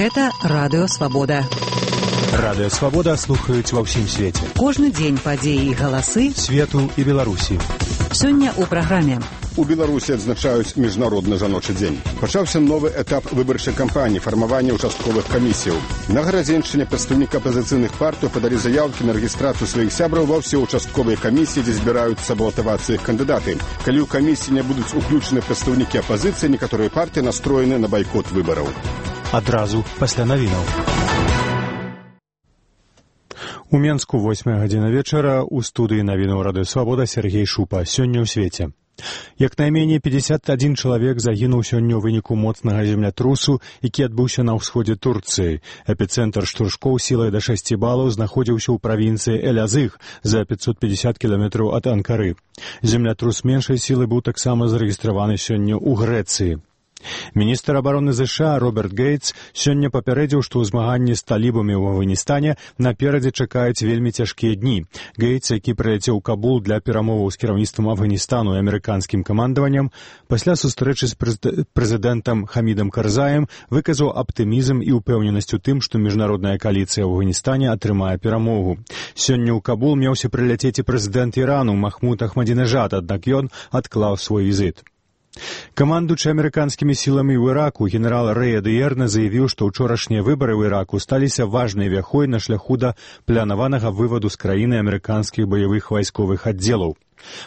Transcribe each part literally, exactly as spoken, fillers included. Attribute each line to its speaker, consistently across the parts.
Speaker 1: Гэта Радыё Свабода.
Speaker 2: Радыё Свабода слухаюць ва ўсім свеце.
Speaker 1: Кожны дзень падзеі і галасы
Speaker 2: свету і Беларусі.
Speaker 1: Сёння ў праграме.
Speaker 3: У Беларусі адзначаюць міжнародны жаночы дзень. Пачаўся новы этап выбарчай кампаніі, фармавання ўчастковых камісіяў. На Гарадзеншчыне прадстаўнікі апазіцыйных партый падалі заяўкі на рэгістрацыю сваіх сябраў ва ўсе ўчастковыя камісіі, дзе збіраюцца балатавацца іх кандыдаты. Калі ў камісіі не будуць уключаны прадстаўнікі апазіцыі, некаторыя партыі настроены на байкот выбараў.
Speaker 2: Адразу пасля навінаў. У Менску восьмая гадзіна вечара у студыі навінаў Радыё Свабода Сергей Шупа. Сёння ў свеце. Як найменей пятьдесят один чалавек загінуў сёння ў выніку моцнага землятрусу, які адбыўся на ўсходзе Турцыі. Эпіцэнтр штуршкоў сілай да шасці балаў знаходзіўся ў правінцыі Элязыг за пятьсот пятьдесят кіламетраў ад Анкары. Землятрус меншай сілы быў таксама зарэгістраваны сёння ў Грэцыі. Міністр абароны ЗША Роберт Гейтс сёння папярэдзіў, што ў змаганні з талібамі ў Афганістане наперадзе чакаюць вельмі цяжкія дні. Гейтс, які прылецеў у Кабул для перамоваў з кіраўніцтвам Афганістану і амерыканскім камандаваннем, пасля сустрэчы з прэзідэнтам Хамідам Карзаем выказаў аптымізм і ўпэўненасць у тым, што міжнародная кааліцыя ў Афганістане атрымае перамогу. Сёння ў Кабул меўся прыляцець і прэзідэнт Ірану Махмуд Ахмадзінежад, аднак ён адклаў свой візіт. Камандуючы амерыканскімі сіламі ў Іраку генерал Рэй Адыерна заявіў, што ўчорашнія выбары ў Іраку сталіся важнай вяхой на шляху да планаванага вываду з краіны амерыканскіх баявых вайсковых аддзелаў.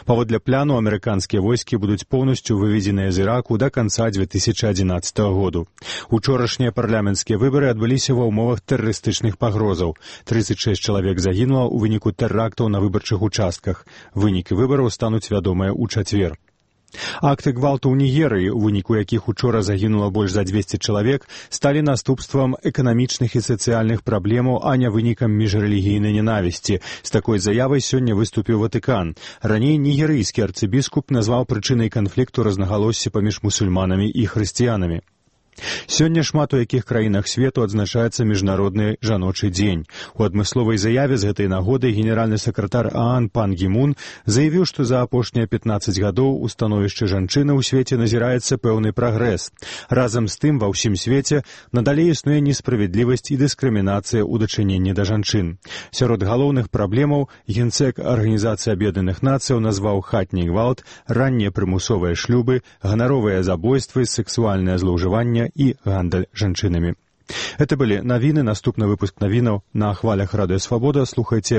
Speaker 2: Паводле плану, амерыканскія войскі будуць поўнасцю выведзеныя з Іраку да канца две тысячи адзінаццатага году. Учорашнія парламенцкія выбары адбыліся ва ўмовах тэрарыстычных пагрозаў. тридцать шесть чалавек загінула ў выніку тэрактаў на выбарчых участках. Вынікі выбараў стануць вядомыя ў чацвер. Акты гвалту ў Нігерыі, у выніку якіх учора загінула больш за двести чалавек, сталі наступствам эканамічных і сацыяльных праблемаў, а не вынікам міжрэлігійнай ненавісці. З такой заявай сёння выступіў Ватыкан. Раней нігерыйскі арцыбіскуп назваў прычынай канфлікту рознагалоссі паміж мусульманамі і хрысціянамі. Сёння шмат у якіх краінах свету адзначаецца міжнародны жаночы дзень. У адмысловай заяве з гэтай нагоды генеральны сакратар ААН Пан Гі Мун заявіў, што за апошнія пятнаццаць гадоў у становішчы жанчыны ў свеце назіраецца пэўны прагрэс. Разам з тым ва ўсім свеце надалей існуе несправядлівасць і дыскрымінацыя ў дачыненні да жанчын. Сярод галоўных праблемаў генсек Арганізацыі Аб'яднаных Нацыяў назваў хатні гвалт, раннія прымусовыя шлюбы, ганаровыя забойствы, сексуальнае злоўжыванне і гандаль жанчынамі. Это былі навіны. Наступны выпуск навінаў на хвалях Радыё Свабода слухайце